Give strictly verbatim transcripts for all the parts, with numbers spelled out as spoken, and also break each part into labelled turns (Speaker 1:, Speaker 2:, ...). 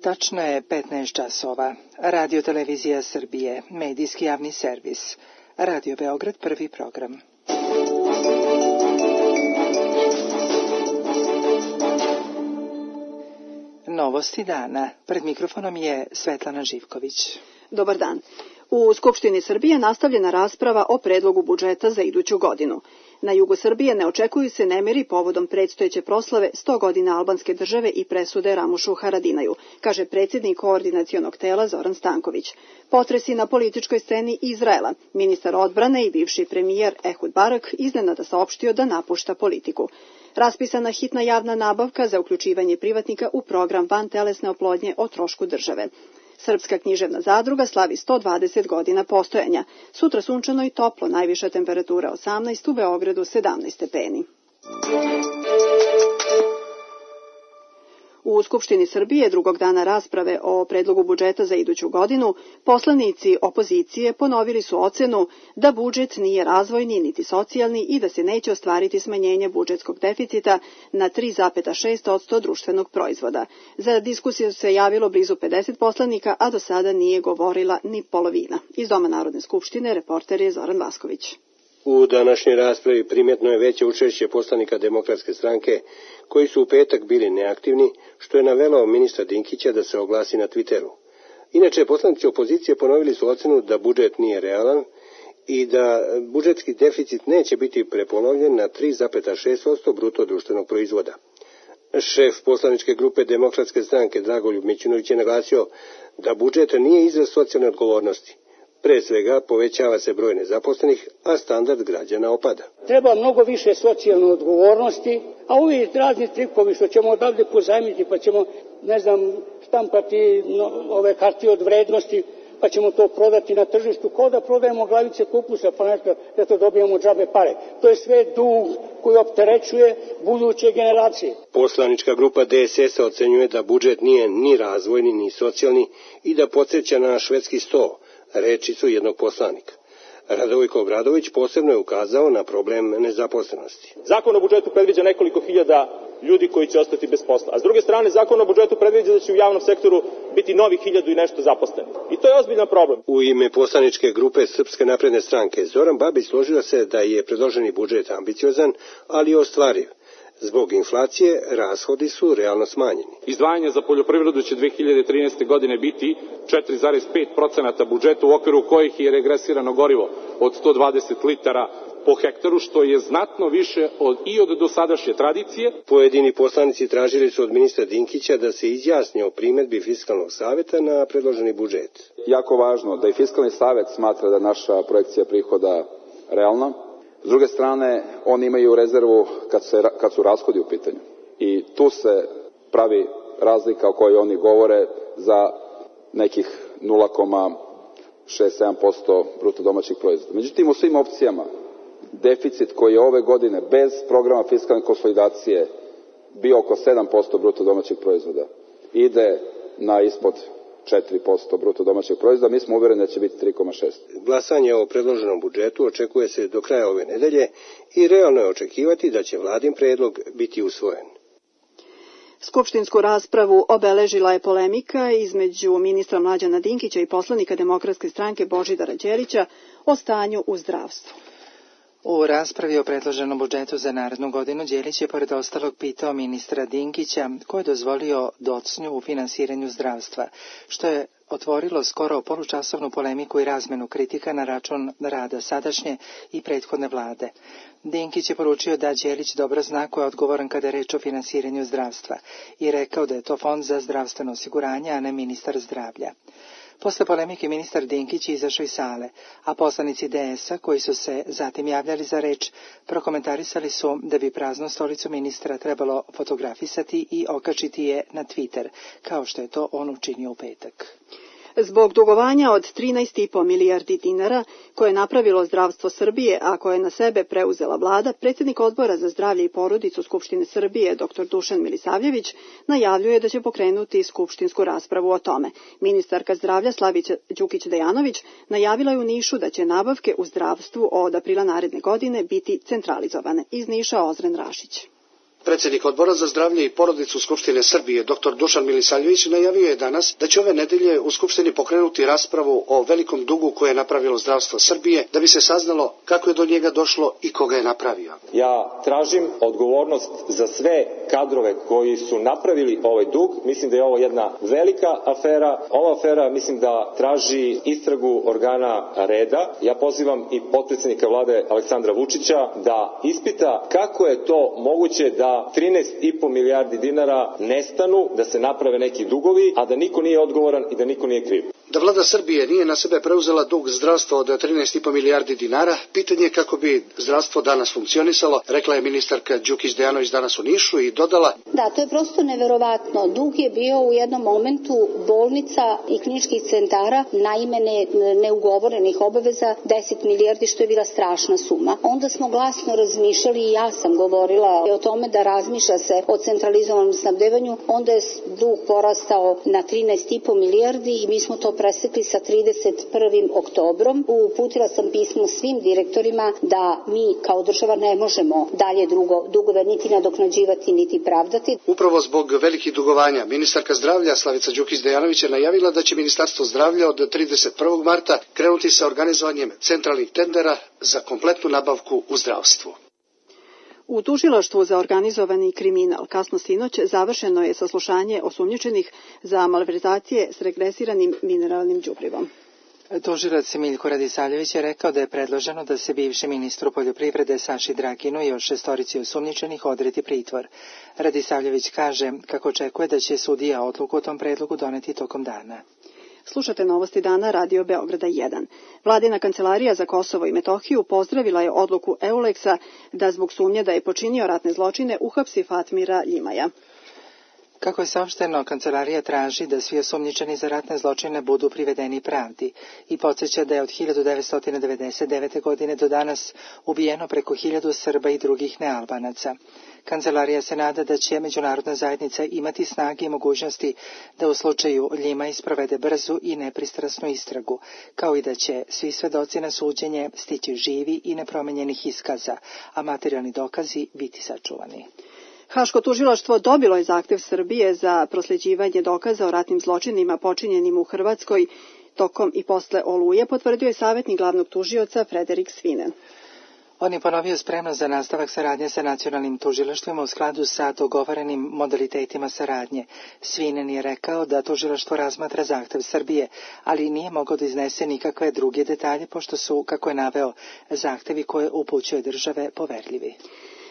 Speaker 1: Tačno je petnaest časova. Radio Televizija Srbije, medijski javni servis. Radio Beograd, prvi program. Novosti dana. Pred mikrofonom je Svetlana Živković.
Speaker 2: Dobar dan. U Skupštini Srbije nastavljena rasprava o predlogu budžeta za iduću godinu. Na jugu Srbije ne očekuju se nemiri povodom predstojeće proslave sto godina albanske države i presude Ramušu Haradinaju, kaže predsjednik koordinacionog tela Zoran Stanković. Potresi na političkoj sceni Izraela. Ministar odbrane i bivši premijer Ehud Barak iznenada saopštio da napušta politiku. Raspisana hitna javna nabavka za uključivanje privatnika u program vantelesne oplodnje o trošku države. Srpska književna zadruga slavi sto dvadeset godina postojanja. Sutra sunčano i toplo, najviša temperatura osamnaest, u Beogradu sedamnaest stepeni. U Skupštini Srbije drugog dana rasprave o predlogu budžeta za iduću godinu, poslanici opozicije ponovili su ocenu da budžet nije razvojni niti socijalni i da se neće ostvariti smanjenje budžetskog deficita na tri zarez šest posto društvenog proizvoda. Za diskusiju se javilo blizu pedeset poslanika, a do sada nije govorila ni polovina. Iz Doma Narodne skupštine reporter je Zoran Vasković.
Speaker 3: U današnjoj raspravi primjetno je veće učešće poslanika Demokratske stranke, koji su u petak bili neaktivni, što je navelo ministra Dinkića da se oglasi na Twitteru. Inače, poslanici opozicije ponovili su ocenu da budžet nije realan i da budžetski deficit neće biti prepolovljen na tri zarez šest posto bruto društvenog proizvoda. Šef poslaničke grupe Demokratske stranke Dragoljub Mićunović je naglasio da budžet nije izraz socijalne odgovornosti. Pre svega, povećava se broj nezaposlenih, a standard građana opada.
Speaker 4: Treba mnogo više socijalne odgovornosti, a ovi razni trikovi što ćemo odavde pozajmiti, pa ćemo, ne znam, štampati no, ove hartije od vrednosti, pa ćemo to prodati na tržištu, kao da prodajemo glavice kupusa, pa nešto da to dobijemo džabe pare. To je sve dug koji opterećuje buduće generacije.
Speaker 3: Poslanička grupa D S S-a ocenjuje da budžet nije ni razvojni, ni socijalni i da podsjeća na švedski sto. Reči su jednog poslanika. Radoviko Obradović posebno je ukazao na problem nezaposlenosti.
Speaker 5: Zakon o budžetu predviđa nekoliko hiljada ljudi koji će ostati bez posla. A s druge strane, zakon o budžetu predviđa da će u javnom sektoru biti novih hiljadu i nešto zaposlenih. I to je ozbiljan problem.
Speaker 3: U ime poslaničke grupe Srpske napredne stranke Zoran Babić složio se da je predloženi budžet ambiciozan, ali ostvariv. Zbog inflacije, rashodi su realno smanjeni.
Speaker 6: Izdvajanje za poljoprivredu će dve hiljade trinaeste. godine biti četiri zarez pet posto budžeta, u okviru kojih je regresirano gorivo od sto dvadeset litara po hektaru, što je znatno više od, i od dosadašnje tradicije.
Speaker 3: Pojedini poslanici tražili su od ministra Dinkića da se izjasni o primedbi Fiskalnog saveta na predloženi budžet.
Speaker 7: Jako važno da i Fiskalni savet smatra da naša projekcija prihoda realna. S druge strane, oni imaju rezervu kad, se, kad su rashodi u pitanju. I tu se pravi razlika o kojoj oni govore za nekih nula zarez šest sedam posto bruto domaćih proizvoda. Međutim, u svim opcijama, deficit koji je ove godine bez programa fiskalne konsolidacije bio oko sedam posto bruto domaćih proizvoda, ide na ispod četiri posto bruto domaćeg proizvoda, mi smo uvjereni da će biti tri zarez šest.
Speaker 3: Glasanje o predloženom budžetu očekuje se do kraja ove nedelje i realno je očekivati da će vladin predlog biti usvojen.
Speaker 2: Skupštinsku raspravu obeležila je polemika između ministra Mlađana Dinkića i poslanika Demokratske stranke Božidara Đelića o stanju u zdravstvu.
Speaker 1: U raspravi o predloženom budžetu za narednu godinu Đelić je pored ostalog pitao ministra Dinkića ko je dozvolio docnju u finansiranju zdravstva, što je otvorilo skoro polučasovnu polemiku i razmenu kritika na račun rada sadašnje i prethodne vlade. Dinkić je poručio da Đelić dobro zna ko je odgovoran kada je reč o finansiranju zdravstva i rekao da je to fond za zdravstveno osiguranje, a ne ministar zdravlja. Posle polemike ministar Dinkić je izašao iz sale, a poslanici D S-a koji su se zatim javljali za reč prokomentarisali su da bi praznu stolicu ministra trebalo fotografisati i okačiti je na Twitter, kao što je to on učinio u petak.
Speaker 2: Zbog dugovanja od trinaest i po milijardi dinara koje je napravilo zdravstvo Srbije, a koje je na sebe preuzela vlada, predsjednik Odbora za zdravlje i porodicu Skupštine Srbije, doktor Dušan Milisavljević, najavljuje da će pokrenuti skupštinsku raspravu o tome. Ministarka zdravlja Slavica Đukić-Dejanović najavila je u Nišu da će nabavke u zdravstvu od aprila naredne godine biti centralizovane. Iz Niša Ozren Rašić.
Speaker 8: Predsjednik Odbora za zdravlje i porodicu Skupštine Srbije, dr Dušan Milisavljević, najavio je danas da će ove nedelje u Skupštini pokrenuti raspravu o velikom dugu koje je napravilo zdravstvo Srbije, da bi se saznalo kako je do njega došlo i koga je napravio.
Speaker 9: Ja tražim odgovornost za sve kadrove koji su napravili ovaj dug. Mislim da je ovo jedna velika afera. Ova afera mislim da traži istragu organa reda. Ja pozivam i potpredsjednika vlade Aleksandra Vučića da ispita kako je to moguće da trinaest i po milijardi dinara nestanu, da se naprave neki dugovi, a da niko nije odgovoran i da niko nije kriv.
Speaker 8: Da vlada Srbije nije na sebe preuzela dug zdravstva od trinaest i po milijardi dinara, pitanje je kako bi zdravstvo danas funkcionisalo, rekla je ministarka Đukić Dejanović danas u Nišu i dodala:
Speaker 10: Da, to je prosto neverovatno. Dug je bio u jednom momentu bolnica i kliničkih centara na ime ne, neugovorenih obaveza deset milijardi, što je bila strašna suma. Onda smo glasno razmišljali i ja sam govorila o tome da razmišlja se o centralizovanom snabdevanju, onda je dug porastao na trinaest i po milijardi i mi smo to presekli sa trideset prvim oktobrom. Uputila sam pismo svim direktorima da mi kao država ne možemo dalje drugo, dugove niti nadoknađivati niti pravdati.
Speaker 8: Upravo zbog velikih dugovanja, ministarka zdravlja Slavica Đukić Dejanović je najavila da će Ministarstvo zdravlja od trideset prvog marta krenuti sa organizovanjem centralnih tendera za kompletnu nabavku u zdravstvu.
Speaker 2: U tužilaštvu za organizovani kriminal kasno sinoć završeno je saslušanje osumnjičenih za malverzacije s regresiranim mineralnim đubrivom.
Speaker 1: Tužilac Miljko Radisavljević je rekao da je predloženo da se bivšem ministru poljoprivrede Saši Draginu i još šestorici osumnjičenih odredi pritvor. Radisavljević kaže kako očekuje da će sudija odluku o tom predlogu doneti tokom dana.
Speaker 2: Slušate Novosti dana Radio Beograda jedan. Vladina kancelarija za Kosovo i Metohiju pozdravila je odluku Euleksa da zbog sumnje da je počinio ratne zločine uhapsi Fatmira Ljimaja.
Speaker 1: Kako je saopšteno, kancelarija traži da svi osumnjičeni za ratne zločine budu privedeni pravdi i podsjeća da je od hiljadu devetsto devedeset devete. godine do danas ubijeno preko hiljadu Srba i drugih nealbanaca. Kancelarija se nada da će međunarodna zajednica imati snage i mogućnosti da u slučaju Ljima isprovede brzu i nepristrasnu istragu, kao i da će svi svedoci na suđenje stići živi i nepromenjenih iskaza, a materijalni dokazi biti sačuvani.
Speaker 2: Haško tužilaštvo dobilo je zahtev Srbije za prosljeđivanje dokaza o ratnim zločinima počinjenim u Hrvatskoj tokom i posle Oluje, potvrdio je savjetnik glavnog tužioca Frederik Svinen.
Speaker 1: On je ponovio spremnost za nastavak saradnje sa nacionalnim tužilaštvima u skladu sa dogovorenim modalitetima saradnje. Svinen je rekao da tužilaštvo razmatra zahtev Srbije, ali nije mogao da iznese nikakve druge detalje, pošto su, kako je naveo, zahtevi koje upućuje države poverljivi.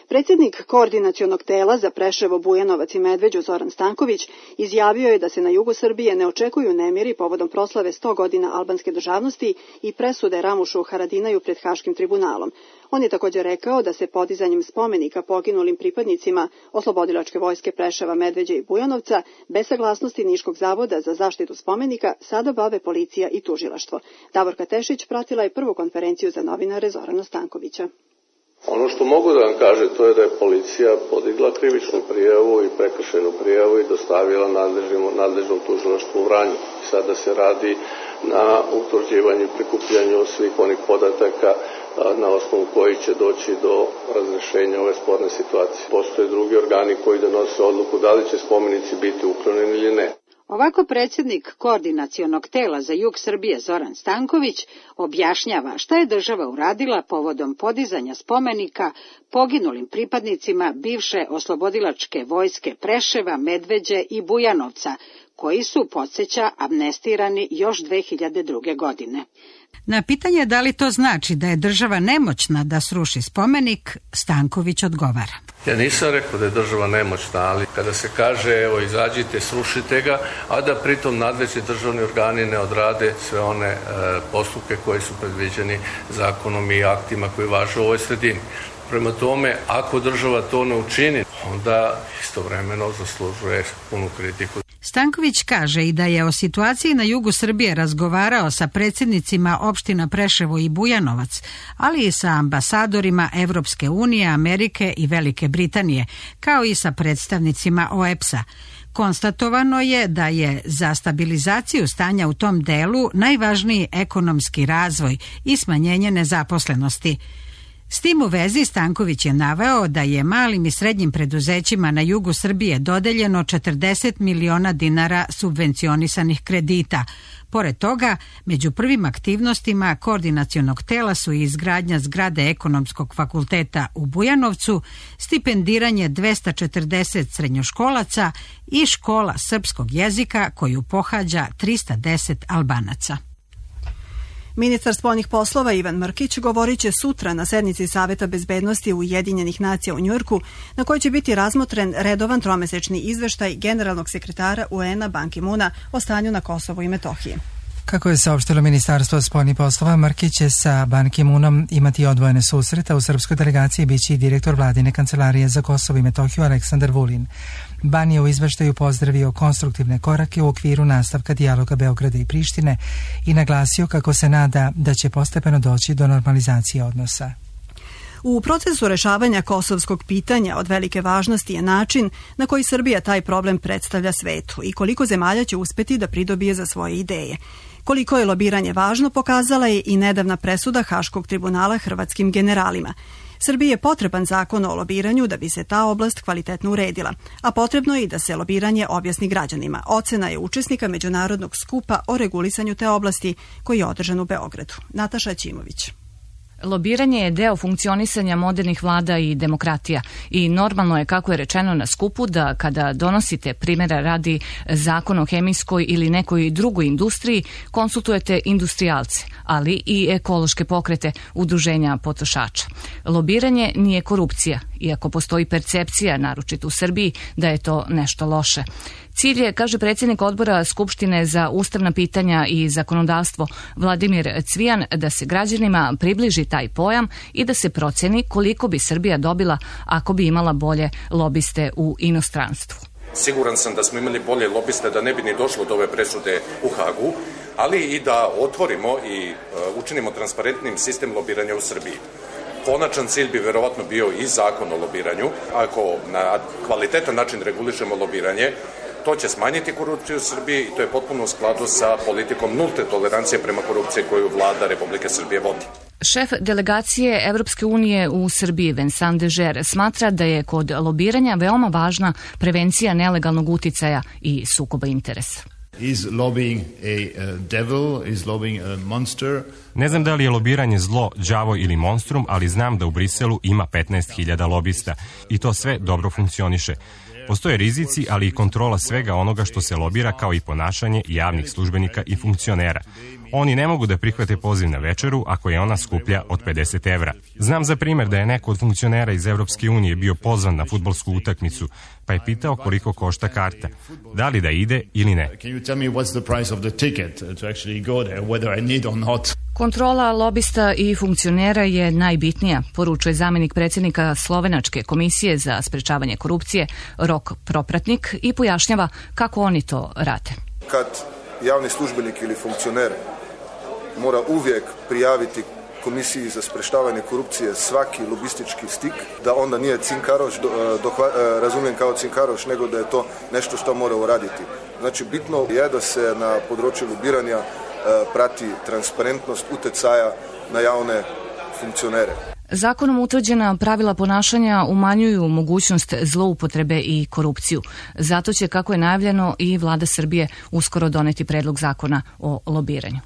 Speaker 2: Predsjednik koordinacionog tela za Preševo, Bujanovac i Medveđu Zoran Stanković izjavio je da se na jugu Srbije ne očekuju nemiri povodom proslave sto godina albanske državnosti i presude Ramušu Haradinaju pred Haškim tribunalom. On je također rekao da se podizanjem spomenika poginulim pripadnicima Oslobodilačke vojske Preševa, Medveđe i Bujanovca bez saglasnosti Niškog zavoda za zaštitu spomenika sada bave policija i tužilaštvo. Davorka Tešić pratila je prvu konferenciju za novinare Zorana Stankovića.
Speaker 11: Ono što mogu da vam kaže, to je da je policija podigla krivičnu prijavu i prekršajnu prijavu i dostavila nadležnom, nadležnom tužilaštvu u Vranju. Sada se radi na utvrđivanju i prikupljanju svih onih podataka na osnovu koji će doći do razrešenja ove sporne situacije. Postoje drugi organi koji donose odluku da li će spomenici biti uklonjeni ili ne.
Speaker 12: Ovako predsjednik koordinacionog tela za jug Srbije Zoran Stanković objašnjava šta je država uradila povodom podizanja spomenika poginulim pripadnicima bivše oslobodilačke vojske Preševa, Medveđe i Bujanovca, koji su, podsjeća, amnestirani još dve hiljade druge. godine.
Speaker 13: Na pitanje da li to znači da je država nemoćna da sruši spomenik, Stanković odgovara.
Speaker 11: Ja nisam rekao da je država nemoćna, ali kada se kaže evo izađite, srušite ga, a da pritom nadležni državni organi ne odrade sve one e, postupke koji su predviđeni zakonom i aktima koji važe u ovoj sredini. Prema tome, ako država to ne učini, onda istovremeno zaslužuje punu kritiku.
Speaker 13: Stanković kaže i da je o situaciji na jugu Srbije razgovarao sa predsjednicima opština Preševo i Bujanovac, ali i sa ambasadorima Evropske unije, Amerike i Velike Britanije, kao i sa predstavnicima O E P S-a. Konstatovano je da je za stabilizaciju stanja u tom delu najvažniji ekonomski razvoj i smanjenje nezaposlenosti. S tim u vezi Stanković je naveo da je malim i srednjim preduzećima na jugu Srbije dodeljeno četrdeset miliona dinara subvencionisanih kredita. Pored toga, među prvim aktivnostima koordinacionog tela su i izgradnja zgrade Ekonomskog fakulteta u Bujanovcu, stipendiranje dvesta četrdeset srednjoškolaca i škola srpskog jezika koju pohađa trista deset Albanaca.
Speaker 2: Ministar spoljnih poslova Ivan Mrkić govorit će sutra na sednici Saveta bezbednosti Ujedinjenih nacija u Njujorku, na kojoj će biti razmotren redovan tromesečni izveštaj generalnog sekretara U N-a Ban Ki-moona o stanju na Kosovu i Metohiji.
Speaker 1: Kako je saopštilo Ministarstvo spoljnih poslova, Mrkić će sa Ban Ki-moonom imati odvojene susreta. U srpskoj delegaciji biće i direktor vladine kancelarije za Kosovo i Metohiju Aleksandar Vulin. Ban je u izveštaju pozdravio konstruktivne korake u okviru nastavka dijaloga Beograda i Prištine i naglasio kako se nada da će postepeno doći do normalizacije odnosa.
Speaker 2: U procesu rešavanja kosovskog pitanja od velike važnosti je način na koji Srbija taj problem predstavlja svetu i koliko zemalja će uspeti da pridobije za svoje ideje. Koliko je lobiranje važno pokazala je i nedavna presuda Haškog tribunala hrvatskim generalima. Srbiji je potreban zakon o lobiranju da bi se ta oblast kvalitetno uredila, a potrebno je i da se lobiranje objasni građanima. Ocena je učesnika međunarodnog skupa o regulisanju te oblasti koji je održan u Beogradu. Nataša Ćimović.
Speaker 14: Lobiranje je deo funkcionisanja modernih vlada i demokratija i normalno je, kako je rečeno na skupu, da kada donosite, primjera radi, zakon o hemijskoj ili nekoj drugoj industriji, konsultujete industrijalce, ali i ekološke pokrete, udruženja potrošača. Lobiranje nije korupcija, iako postoji percepcija, naročito u Srbiji, da je to nešto loše. Cilj je, kaže predsjednik odbora Skupštine za ustavna pitanja i zakonodavstvo Vladimir Cvijan, da se građanima približi taj pojam i da se proceni koliko bi Srbija dobila ako bi imala bolje lobiste u inostranstvu.
Speaker 15: Siguran sam da smo imali bolje lobiste da ne bi ni došlo do ove presude u Hagu, ali i da otvorimo i učinimo transparentnim sistem lobiranja u Srbiji. Konačan cilj bi verovatno bio i zakon o lobiranju. Ako na kvalitetan način regulišemo lobiranje, to će smanjiti korupciju u Srbiji i to je potpuno u skladu sa politikom nulte tolerancije prema korupciji koju vlada Republike Srbije vodi.
Speaker 14: Šef delegacije Evropske unije u Srbiji, Vincent Dežer, smatra da je kod lobiranja veoma važna prevencija nelegalnog uticaja i sukoba interesa.
Speaker 16: Is lobbying a uh, devil? Is lobbying a monster?
Speaker 17: Ne znam da li je lobiranje zlo, đavo ili monstrum, ali znam da u Briselu ima petnaest hiljada lobista i to sve dobro funkcioniše. Postoje rizici, ali i kontrola svega onoga što se lobira, kao i ponašanje javnih službenika i funkcionera. Oni ne mogu da prihvate poziv na večeru ako je ona skuplja od pedeset evra. Znam za primjer da je neko od funkcionera iz Evropske unije bio pozvan na fudbalsku utakmicu, pa je pitao koliko košta karta. Da li da ide ili ne.
Speaker 14: Kontrola lobista i funkcionera je najbitnija, poručuje zamjenik predsjednika Slovenačke komisije za sprečavanje korupcije Rok Propratnik i pojašnjava kako oni to rade.
Speaker 18: Kad javni službenik ili funkcioner mora uvijek prijaviti Komisiji za sprečavanje korupcije svaki lobistički stik, da onda nije cinkaroš, do, do, razumijem kao cinkaroš, nego da je to nešto što mora uraditi. Znači, bitno je da se na području lobiranja prati transparentnost utjecaja na javne funkcionere.
Speaker 14: Zakonom utvrđena pravila ponašanja umanjuju mogućnost zloupotrebe i korupciju. Zato će, kako je najavljeno, i vlada Srbije uskoro doneti predlog zakona o lobiranju.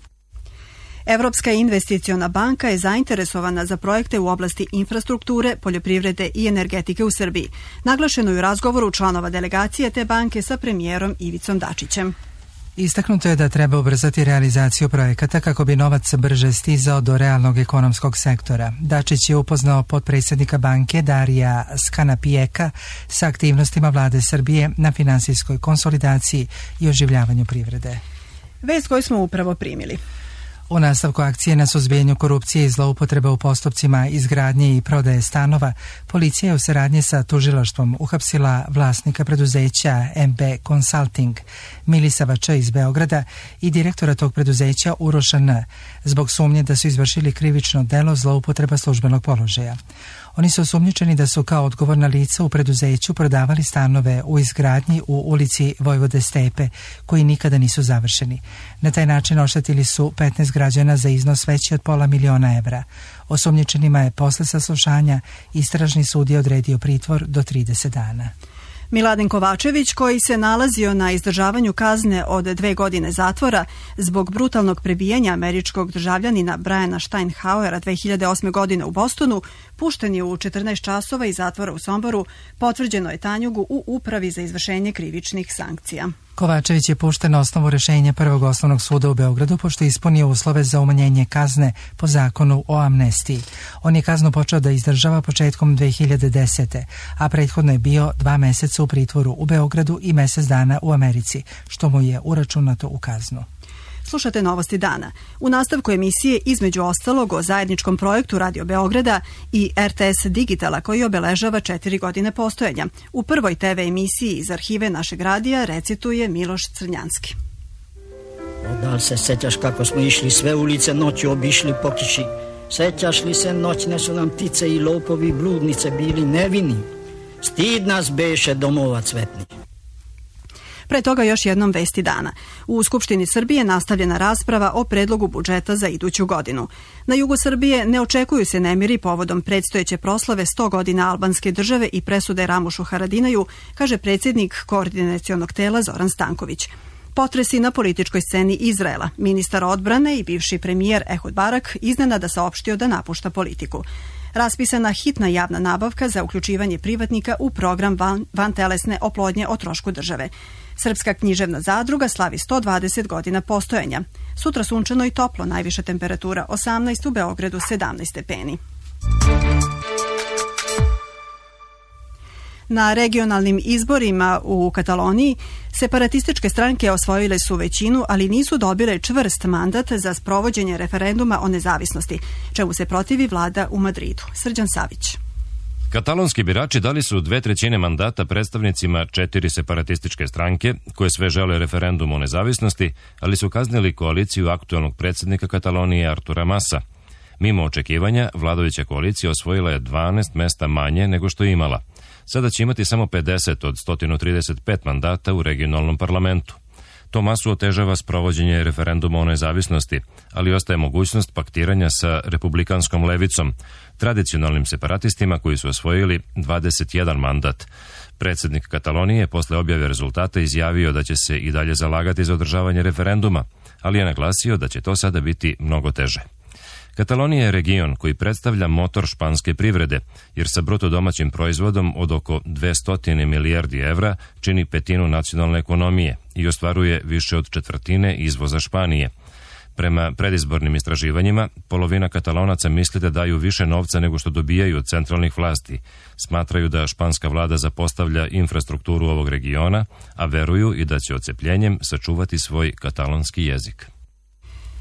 Speaker 2: Evropska investiciona banka je zainteresovana za projekte u oblasti infrastrukture, poljoprivrede i energetike u Srbiji. Naglašeno je u razgovoru članova delegacije te banke sa premijerom Ivicom Dačićem.
Speaker 1: Istaknuto je da treba ubrzati realizaciju projekata kako bi novac brže stizao do realnog ekonomskog sektora. Dačić je upoznao potpredsjednika banke Darija Skanapijeka sa aktivnostima vlade Srbije na finansijskoj konsolidaciji i oživljavanju privrede.
Speaker 2: Vest koju smo upravo primili.
Speaker 1: U nastavku akcije na suzbijanju korupcije i zloupotreba u postupcima izgradnje i prodaje stanova, policija je u saradnji sa tužilaštvom uhapsila vlasnika preduzeća M B Consulting, Milisava Č iz Beograda i direktora tog preduzeća Uroša N, zbog sumnje da su izvršili krivično delo zloupotreba službenog položaja. Oni su osumnjičeni da su kao odgovorna lica u preduzeću prodavali stanove u izgradnji u ulici Vojvode Stepe, koji nikada nisu završeni. Na taj način oštetili su petnaest građana za iznos veći od pola miliona evra. Osumnjičenima je posle saslušanja istražni sudija odredio pritvor do trideset dana.
Speaker 2: Miladin Kovačević, koji se nalazio na izdržavanju kazne od dve godine zatvora zbog brutalnog prebijanja američkog državljanina Briana Steinhauera dve hiljade osme. godine u Bostonu, pušten je u četrnaest časova iz zatvora u Somboru, potvrđeno je Tanjugu u Upravi za izvršenje krivičnih sankcija.
Speaker 1: Kovačević je pušten na osnovu rešenja Prvog osnovnog suda u Beogradu pošto je ispunio uslove za umanjenje kazne po zakonu o amnestiji. On je kaznu počeo da izdržava početkom dve hiljade desete. a prethodno je bio dva meseca u pritvoru u Beogradu i mesec dana u Americi, što mu je uračunato u kaznu.
Speaker 2: Slušate Novosti dana. U nastavku emisije između ostalog o zajedničkom projektu Radio Beograda i R T S Digitala koji obeležava četiri godine postojanja. U prvoj te ve emisiji iz arhive našeg radija recituje Miloš Crnjanski.
Speaker 19: Da li se sećaš kako smo išli sve ulice noću obišli po kiši? Sećaš li se noćne su nam ptice i lopovi bludnice bili nevini? Stid nas beše domova cvetnih.
Speaker 2: Pre toga još jednom vesti dana. U Skupštini Srbije nastavljena rasprava o predlogu budžeta za iduću godinu. Na jugu Srbije ne očekuju se nemiri povodom predstojeće proslave sto godina albanske države i presude Ramušu Haradinaju, kaže predsjednik koordinacionog tela Zoran Stanković. Potresi na političkoj sceni Izraela. Ministar odbrane i bivši premijer Ehud Barak iznenada saopštio da napušta politiku. Raspisana hitna javna nabavka za uključivanje privatnika u program van, vantelesne oplodnje o trošku države. Srpska književna zadruga slavi sto dvadeset godina postojanja. Sutra sunčano i toplo, najviša temperatura osamnaest, u Beogradu sedamnaest stepeni. Na regionalnim izborima u Kataloniji separatističke stranke osvojile su većinu, ali nisu dobile čvrst mandat za sprovođenje referenduma o nezavisnosti, čemu se protivi vlada u Madridu. Srđan Savić.
Speaker 20: Katalonski birači dali su dve trećine mandata predstavnicima četiri separatističke stranke, koje sve žele referendum o nezavisnosti, ali su kaznili koaliciju aktuelnog predsjednika Katalonije Artura Masa. Mimo očekivanja, vladajuća koalicija osvojila je dvanaest mesta manje nego što je imala. Sada će imati samo pedeset od sto trideset pet mandata u regionalnom parlamentu. To Masu otežava sprovođenje referenduma o nezavisnosti, ali ostaje mogućnost paktiranja sa republikanskom levicom, tradicionalnim separatistima koji su osvojili dvadeset jedan mandat. Predsjednik Katalonije posle objave rezultata izjavio da će se i dalje zalagati za održavanje referenduma, ali je naglasio da će to sada biti mnogo teže. Katalonija je region koji predstavlja motor španske privrede, jer sa bruto domaćim proizvodom od oko dvesta milijardi evra čini petinu nacionalne ekonomije i ostvaruje više od četvrtine izvoza Španije. Prema predizbornim istraživanjima, polovina Katalonaca misli da daju više novca nego što dobijaju od centralnih vlasti. Smatraju da španska vlada zapostavlja infrastrukturu ovog regiona, a veruju i da će odcepljenjem sačuvati svoj katalonski jezik.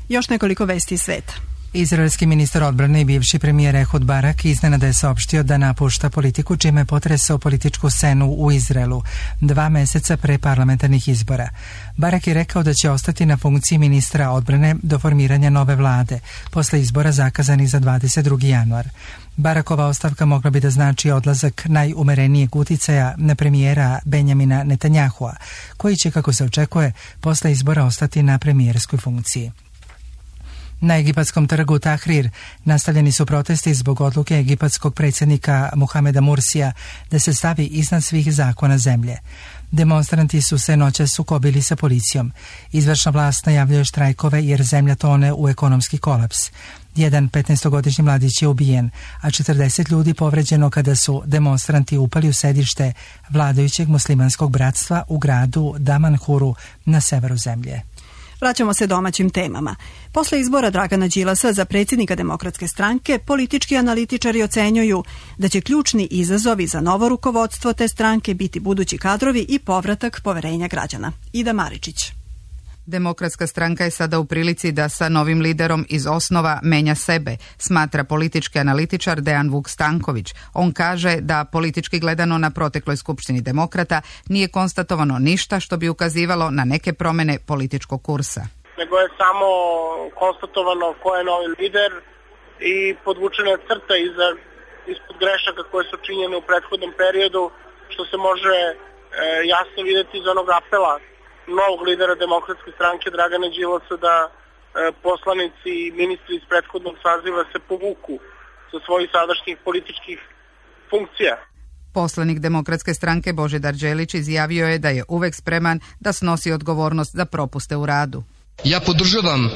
Speaker 2: Još nekoliko vesti iz sveta.
Speaker 1: Izraelski ministar odbrane i bivši premijer Ehud Barak iznenada je saopštio da napušta politiku, čime je potresao političku scenu u Izraelu dva meseca pre parlamentarnih izbora. Barak je rekao da će ostati na funkciji ministra odbrane do formiranja nove vlade, posle izbora zakazanih za dvadeset drugi januar. Barakova ostavka mogla bi da znači odlazak najumerenijeg uticaja na premijera Benjamina Netanjahua, koji će, kako se očekuje, posle izbora ostati na premijerskoj funkciji. Na egipatskom trgu Tahrir nastavljeni su protesti zbog odluke egipatskog predsjednika Muhameda Mursija da se stavi iznad svih zakona zemlje. Demonstranti su se noćas sukobili sa policijom. Izvršna vlast najavljuje štrajkove jer zemlja tone u ekonomski kolaps. Jedan petnaestogodišnji mladić je ubijen, a četrdeset ljudi povređeno kada su demonstranti upali u sedište vladajućeg muslimanskog bratstva u gradu Damanhuru na severu zemlje.
Speaker 2: Vraćamo se domaćim temama. Posle izbora Dragana Đilasa za predsjednika Demokratske stranke, politički analitičari ocenjuju da će ključni izazovi za novo rukovodstvo te stranke biti budući kadrovi i povratak poverenja građana. Ida Maričić.
Speaker 21: Demokratska stranka je sada u prilici da sa novim liderom iz osnova menja sebe, smatra politički analitičar Dejan Vuk Stanković. On kaže da politički gledano na protekloj skupštini demokrata nije konstatovano ništa što bi ukazivalo na neke promjene političkog kursa.
Speaker 22: Nego je samo konstatovano ko je novi lider i podvučena crta iza,
Speaker 4: ispod grešaka koje su činjene u prethodnom periodu, što se može e, jasno vidjeti iz onog apela novog lidera Demokratske stranke Dragana Đilasa da e, poslanici i ministri iz prethodnog saziva se povuku sa svojih sadašnjih političkih funkcija.
Speaker 21: Poslanik Demokratske stranke Božidar Đelić izjavio je da je uvek spreman da snosi odgovornost za propuste u radu.
Speaker 22: Ja podržavam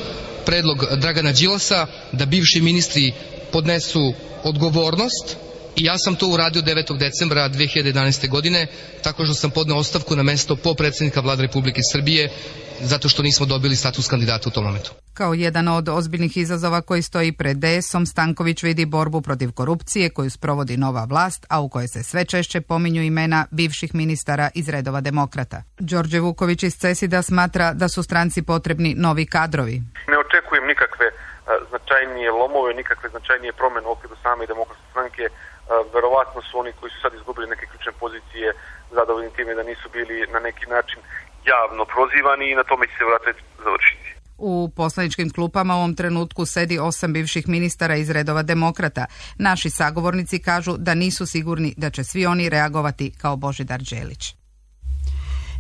Speaker 22: predlog Dragana Đilasa da bivši ministri podnesu odgovornost i ja sam to uradio devetog decembra dve hiljade jedanaeste. godine tako što sam podneo ostavku na mesto potpredsednika Vlade Republike Srbije zato što nismo dobili status kandidata u tom momentu.
Speaker 21: Kao jedan od ozbiljnih izazova koji stoji pred D S om, Stanković vidi borbu protiv korupcije koju sprovodi nova vlast, a u kojoj se sve češće pominju imena bivših ministara iz redova demokrata. Đorđe Vuković iz CESID-a smatra da su stranci potrebni novi kadrovi.
Speaker 23: Ne očekujem nikakve značajnije lomove, nikakve značajnije promene u okviru same Demokratske stranke. Verovatno su oni koji su sad izgubili neke ključne pozicije zadovoljni time da nisu bili na neki način javno prozivani i na tome će se vratiti završiti.
Speaker 21: U poslaničkim klupama u ovom trenutku sedi osam bivših ministara iz redova demokrata. Naši sagovornici kažu da nisu sigurni da će svi oni reagovati kao Božidar Đelić.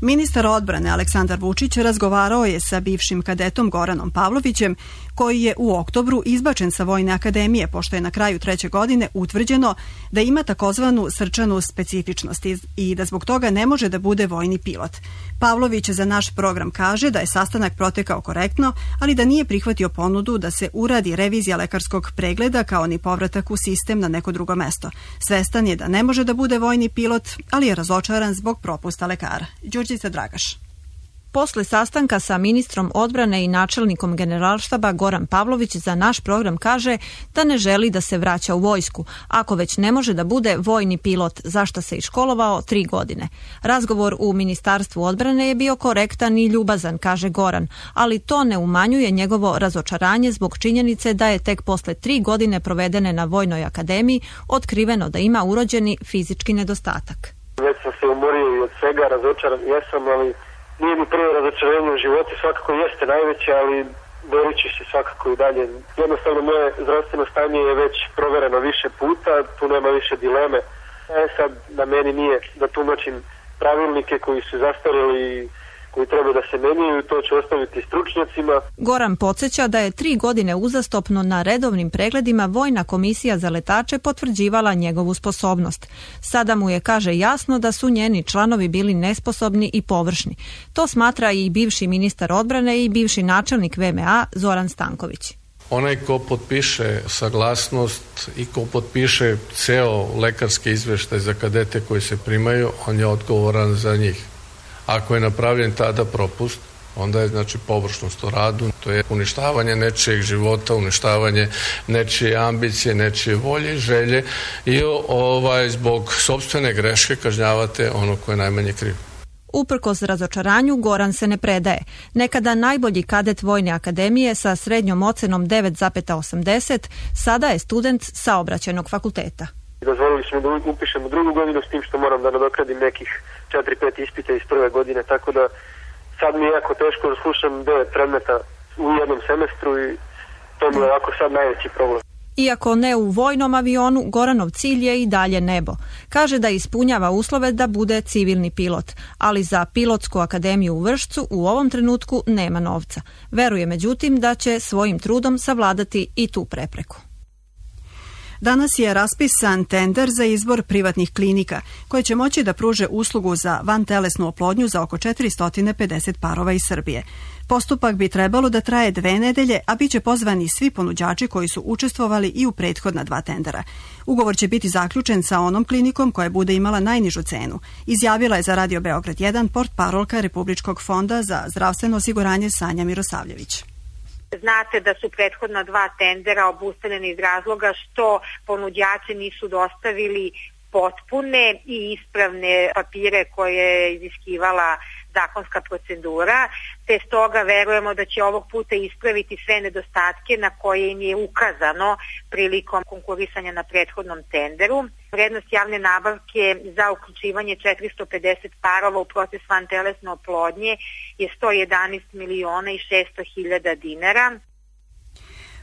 Speaker 2: Ministar odbrane Aleksandar Vučić razgovarao je sa bivšim kadetom Goranom Pavlovićem, koji je u oktobru izbačen sa Vojne akademije, pošto je na kraju treće godine utvrđeno da ima takozvanu srčanu specifičnost i da zbog toga ne može da bude vojni pilot. Pavlović za naš program kaže da je sastanak protekao korektno, ali da nije prihvatio ponudu da se uradi revizija lekarskog pregleda kao ni povratak u sistem na neko drugo mesto. Svestan je da ne može da bude vojni pilot, ali je razočaran zbog propusta lekara. Đurđica Dragaš.
Speaker 24: Posle sastanka sa ministrom odbrane i načelnikom generalštaba Goran Pavlović za naš program kaže da ne želi da se vraća u vojsku, ako već ne može da bude vojni pilot, zašto se i školovao tri godine. Razgovor u Ministarstvu odbrane je bio korektan i ljubazan, kaže Goran, ali to ne umanjuje njegovo razočaranje zbog činjenice da je tek posle tri godine provedene na Vojnoj akademiji otkriveno da ima urođeni fizički nedostatak.
Speaker 23: Već sam se umorio i od svega, razočaran jesam, ali nije mi prvo razočarenje u životu, svakako jeste najveće, ali borit ću se svakako i dalje. Jednostavno moje zdravstveno stanje je već provereno više puta, tu nema više dileme. E sad, da meni nije da tumačim pravilnike koji su zastarjeli i koji treba da se menjaju, to će ostaviti stručnjacima.
Speaker 24: Goran podsjeća da je tri godine uzastopno na redovnim pregledima Vojna komisija za letače potvrđivala njegovu sposobnost. Sada mu je, kaže, jasno da su njeni članovi bili nesposobni i površni. To smatra i bivši ministar odbrane i bivši načelnik V M A Zoran Stanković.
Speaker 25: Onaj ko potpiše saglasnost i ko potpiše ceo lekarski izveštaj za kadete koji se primaju, on je odgovoran za njih. Ako je napravljen tada propust, onda je znači površnost u radu, to je uništavanje nečijeg života, uništavanje nečije ambicije, nečije volje i želje i ovaj, zbog sopstvene greške kažnjavate ono koje je najmanje kriv.
Speaker 24: Uprkos razočaranju, Goran se ne predaje. Nekada najbolji kadet Vojne akademije sa srednjom ocenom devet zarez osamdeset, sada je student Saobraćajnog fakulteta.
Speaker 23: Dozvolili smo da upišemo drugu godinu s tim što moram da nadoknadim nekih četiri pet ispita iz prve godine, tako da sad mi je jako teško da slušam devet predmeta u jednom semestru i to mi je ovako sad najveći problem.
Speaker 24: Iako ne u vojnom avionu, Goranov cilj je i dalje nebo. Kaže da ispunjava uslove da bude civilni pilot, ali za pilotsku akademiju u Vršcu u ovom trenutku nema novca. Veruje međutim da će svojim trudom savladati i tu prepreku.
Speaker 2: Danas je raspisan tender za izbor privatnih klinika koje će moći da pruže uslugu za vantelesnu oplodnju za oko četiristo pedeset parova iz Srbije. Postupak bi trebalo da traje dve nedelje, a bit će pozvani svi ponuđači koji su učestvovali i u prethodna dva tendera. Ugovor će biti zaključen sa onom klinikom koja bude imala najnižu cenu. Izjavila je za Radio Beograd jedan portparolka Republičkog fonda za zdravstveno osiguranje Sanja Mirosavljević.
Speaker 26: Znate da su prethodna dva tendera obustavljeni iz razloga što ponuđači nisu dostavili potpune i ispravne papire koje je iziskivala zakonska procedura, te stoga verujemo da će ovog puta ispraviti sve nedostatke na koje im je ukazano prilikom konkurisanja na prethodnom tenderu. Vrednost javne nabavke za uključivanje četiristo pedeset parova u proces vantelesne oplodnje je sto jedanaest miliona i šesto hiljada dinara.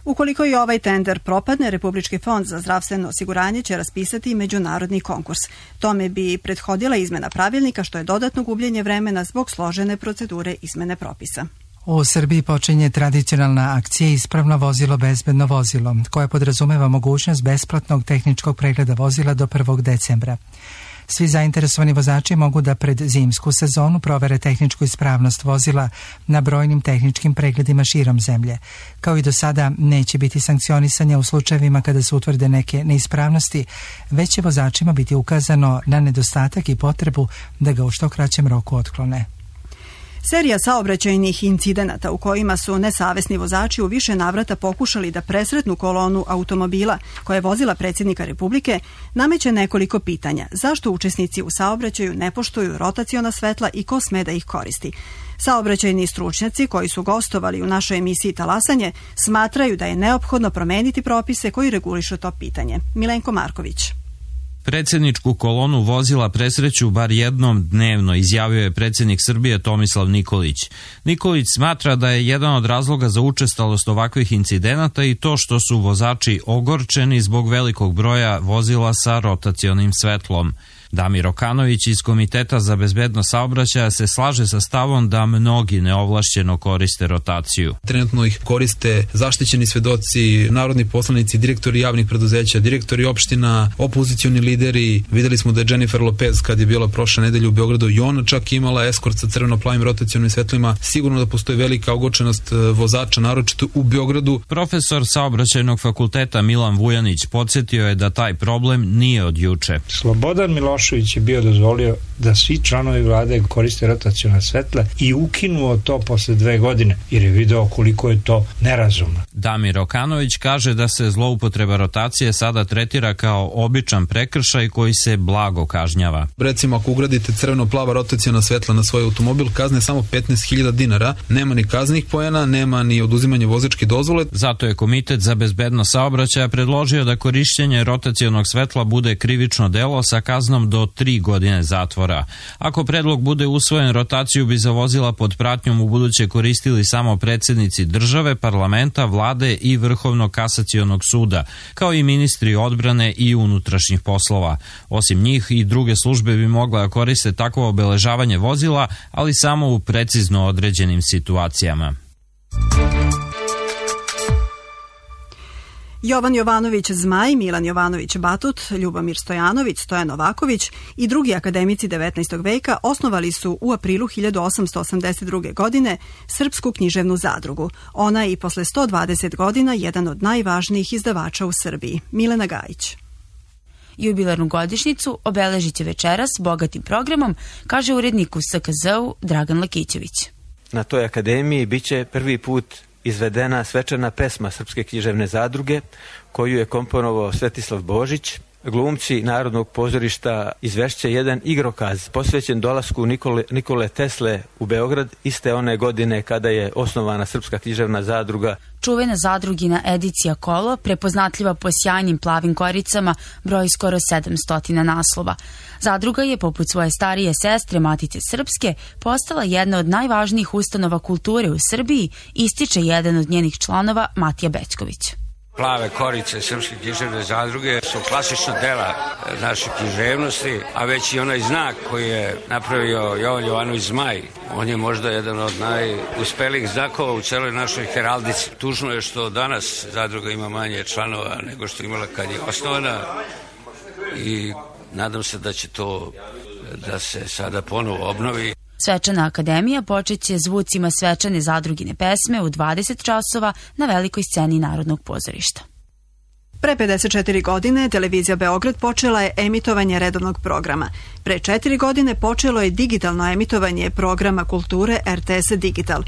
Speaker 2: Ukoliko i ovaj tender propadne, Republički fond za zdravstveno osiguranje će raspisati međunarodni konkurs. Tome bi prethodila izmena pravilnika, što je dodatno gubljenje vremena zbog složene procedure izmene propisa.
Speaker 3: U Srbiji počinje tradicionalna akcija Ispravno vozilo, bezbedno vozilo, koja podrazumeva mogućnost besplatnog tehničkog pregleda vozila do prvog decembra. Svi zainteresovani vozači mogu da pred zimsku sezonu provere tehničku ispravnost vozila na brojnim tehničkim pregledima širom zemlje. Kao i do sada, neće biti sankcionisanja u slučajevima kada se utvrde neke neispravnosti, već će vozačima biti ukazano na nedostatak i potrebu da ga u što kraćem roku otklone.
Speaker 2: Serija saobraćajnih incidenata u kojima su nesavesni vozači u više navrata pokušali da presretnu kolonu automobila koja je vozila predsjednika Republike nameće nekoliko pitanja. Zašto učesnici u saobraćaju ne poštuju rotaciona svetla i ko sme da ih koristi? Saobraćajni stručnjaci koji su gostovali u našoj emisiji Talasanje smatraju da je neophodno promeniti propise koji regulišu to pitanje. Milenko Marković.
Speaker 5: Predsjedničku kolonu vozila presreću bar jednom dnevno, izjavio je predsjednik Srbije Tomislav Nikolić. Nikolić smatra da je jedan od razloga za učestalost ovakvih incidenata i to što su vozači ogorčeni zbog velikog broja vozila sa rotacionim svetlom. Damir Okanović iz Komiteta za bezbednost saobraćaja se slaže sa stavom da mnogi neovlašćeno koriste rotaciju.
Speaker 6: Trenutno ih koriste zaštićeni svedoci, narodni poslanici, direktori javnih preduzeća, direktori opština, opozicioni lideri. Videli smo da je Jennifer Lopez kad je bila prošle nedelje u Beogradu i ona čak imala eskort sa crveno-plavim rotacionim svetlima. Sigurno da postoji velika ogorčenost vozača, naročito u Beogradu.
Speaker 5: Profesor saobraćajnog fakulteta Milan Vujanić podsjetio je da taj problem nije od juče.
Speaker 7: Slobodan Milošević je bio dozvolio da svi članovi vlade koriste rotaciona svetla i ukinuo to posle dve godine, jer je video koliko je to nerazumno.
Speaker 5: Damir Okanović kaže da se zloupotreba rotacije sada tretira kao običan prekršaj koji se blago kažnjava.
Speaker 6: Recimo, ako ugradite crveno-plava rotaciona svetla na svoj automobil, kazne samo petnaest hiljada dinara, nema ni kaznih poena, nema ni oduzimanje vozačke dozvole.
Speaker 5: Zato je Komitet za bezbednost saobraćaja predložio da korišćenje rotacionog svetla bude krivično delo sa kaznom do tri godine zatvora. Ako predlog bude usvojen, rotaciju bi za vozila pod pratnjom u buduće koristili samo predsjednici države, parlamenta, vlade i Vrhovnog kasacionog suda, kao i ministri odbrane i unutrašnjih poslova. Osim njih i druge službe bi mogle koriste takvo obeležavanje vozila, ali samo u precizno određenim situacijama.
Speaker 2: Jovan Jovanović Zmaj, Milan Jovanović Batut, Ljubomir Stojanović, Stojan Novaković i drugi akademici devetnaestog veka osnovali su u aprilu hiljadu osamsto osamdeset druge. godine Srpsku književnu zadrugu. Ona je i posle sto dvadeset godina jedan od najvažnijih izdavača u Srbiji. Milena Gajić.
Speaker 9: Jubilarnu godišnjicu obeležit će večeras bogatim programom, kaže urednik u S K Z-u Dragan Lakićević.
Speaker 10: Na toj akademiji biće prvi put izvedena svečana pesma Srpske književne zadruge, koju je komponovao Svetislav Božić. Glumci Narodnog pozorišta izvešće jedan igrokaz posvećen dolasku Nikole, Nikole Tesle u Beograd iste one godine kada je osnovana Srpska književna zadruga.
Speaker 9: Čuvena zadrugina edicija Kolo, prepoznatljiva po sjajnim plavim koricama, broji skoro sedamsto naslova. Zadruga je, poput svoje starije sestre Matice Srpske, postala jedna od najvažnijih ustanova kulture u Srbiji, ističe jedan od njenih članova, Matija Bećković.
Speaker 27: Plave korice Srpske književne zadruge su klasična dela naše književnosti, a već i onaj znak koji je napravio Jovan Jovanović Zmaj, on je možda jedan od najuspelijih znakova u celoj našoj heraldici. Tužno je što danas zadruga ima manje članova nego što imala kad je osnovana i nadam se da će to da se sada ponovo obnovi.
Speaker 9: Svečana akademija počeće zvucima svečane zadrugine pesme u dvadeset časova na velikoj sceni Narodnog pozorišta.
Speaker 2: Pre pedeset četiri godine televizija Beograd počela je emitovanje redovnog programa. Pre četiri godine počelo je digitalno emitovanje programa kulture R T S Digital,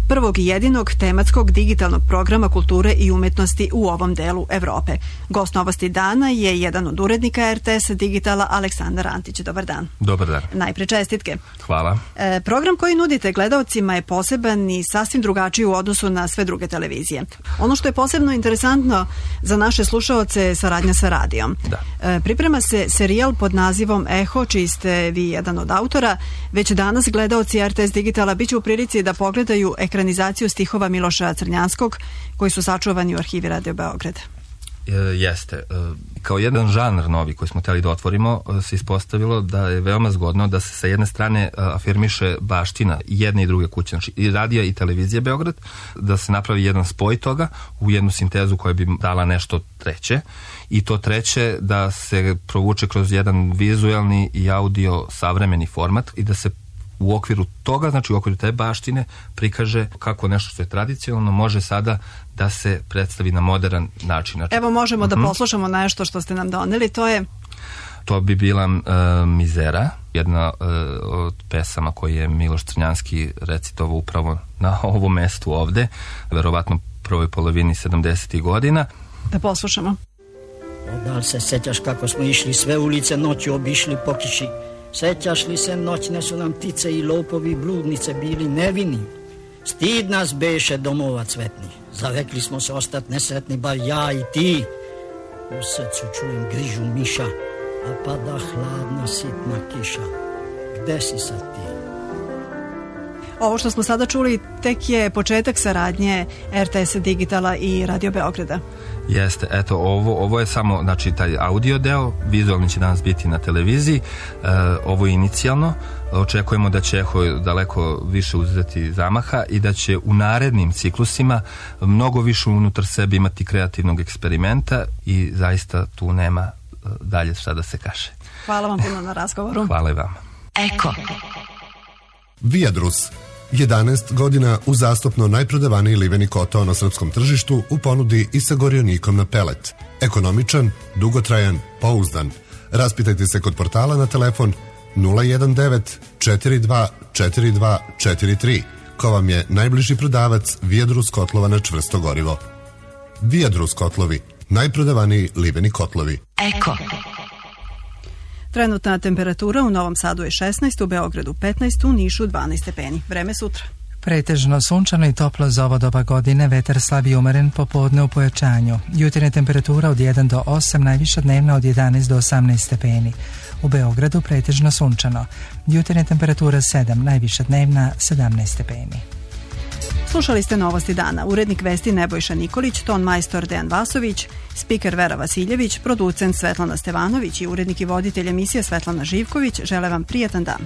Speaker 2: prvog i jedinog tematskog digitalnog programa kulture i umetnosti u ovom delu Evrope. Gost Novosti dana je jedan od urednika R T S Digitala, Aleksandar Antić. Dobar dan.
Speaker 28: Dobar dan.
Speaker 2: Najpre čestitke.
Speaker 28: Hvala.
Speaker 2: E, program koji nudite gledaocima je poseban i sasvim drugačiji u odnosu na sve druge televizije. Ono što je posebno interesantno za naše slušaoce je saradnja sa radijom.
Speaker 28: Da.
Speaker 2: E, priprema se serijal pod nazivom Eho, čiji ste vi jedan od autora. Već danas gledaoci R T S Digitala biće u prilici da pogledaju ekran ekranizaciju stihova Miloša Crnjanskog koji su sačuvani u arhivi Radio Beograd.
Speaker 8: Jeste. Kao jedan žanr novi koji smo hteli da otvorimo se ispostavilo da je veoma zgodno da se sa jedne strane afirmiše baština jedne i druge kuće, znači i radija i televizije Beograd, da se napravi jedan spoj toga u jednu sintezu koja bi dala nešto treće i to treće da se provuče kroz jedan vizuelni i audio savremeni format i da se u okviru toga, znači u okviru te baštine prikaže kako nešto što je tradicionalno može sada da se predstavi na modern način. Znači,
Speaker 2: evo možemo da
Speaker 8: uh-huh.
Speaker 2: poslušamo nešto što ste nam doneli, to je...
Speaker 8: To bi bila uh, Mizera, jedna uh, od pesama koje je Miloš Crnjanski recitovao upravo na ovom mestu ovde, verovatno prvoj polovini sedamdesetih godina.
Speaker 2: Da poslušamo.
Speaker 19: Da li se sećaš kako smo išli sve ulice noću obišli po kiši? Sećaš li se noćne su nam ptice i lopovi i bludnice bili nevini? Stid nas beše domova cvetni. Zavekli smo se ostat nesretni, bar ja i ti. U srcu čujem grižu miša, a pada hladna sitna kiša. Gde si sad ti?
Speaker 2: Ovo što smo sada čuli tek je početak saradnje er te es Digitala i Radio Beograda.
Speaker 8: Jeste, eto, ovo, ovo je samo, znači, taj audio deo, vizualni će danas biti na televiziji, e, ovo je inicijalno, očekujemo da će Eho daleko više uzeti zamaha i da će u narednim ciklusima mnogo više unutar sebe imati kreativnog eksperimenta i zaista tu nema dalje šta da se kaže.
Speaker 2: Hvala vam puno na razgovoru.
Speaker 8: Hvala i vama.
Speaker 2: Eko.
Speaker 11: Viadrus. jedanaest godina uzastopno najprodavaniji liveni kotao na srpskom tržištu u ponudi i sa gorionikom na pelet. Ekonomičan, dugotrajan, pouzdan. Raspitajte se kod portala na telefon nula jedan devet četiri dva četiri dva četiri tri, ko vam je najbliži prodavac Viadrus kotlova na čvrsto gorivo. Viadrus kotlovi, najprodavaniji liveni kotlovi.
Speaker 2: Eko. Trenutna temperatura u Novom Sadu je šesnaest, u Beogradu petnaest, u Nišu dvanaest stepeni. Vreme sutra.
Speaker 3: Pretežno sunčano i toplo za ovo doba godine, vetar slab i umeren, popodne u pojačanju. Jutarnja temperatura od jedan do osam, najviša dnevna od jedanaest do osamnaest stepeni. U Beogradu pretežno sunčano. Jutarnja temperatura sedam, najviša dnevna sedamnaest stepeni.
Speaker 2: Slušali ste Novosti dana. Urednik vesti Nebojša Nikolić, ton majstor Dejan Vasović, spiker Vera Vasiljević, producent Svetlana Stevanović i urednik i voditelj emisije Svetlana Živković žele vam prijatan dan.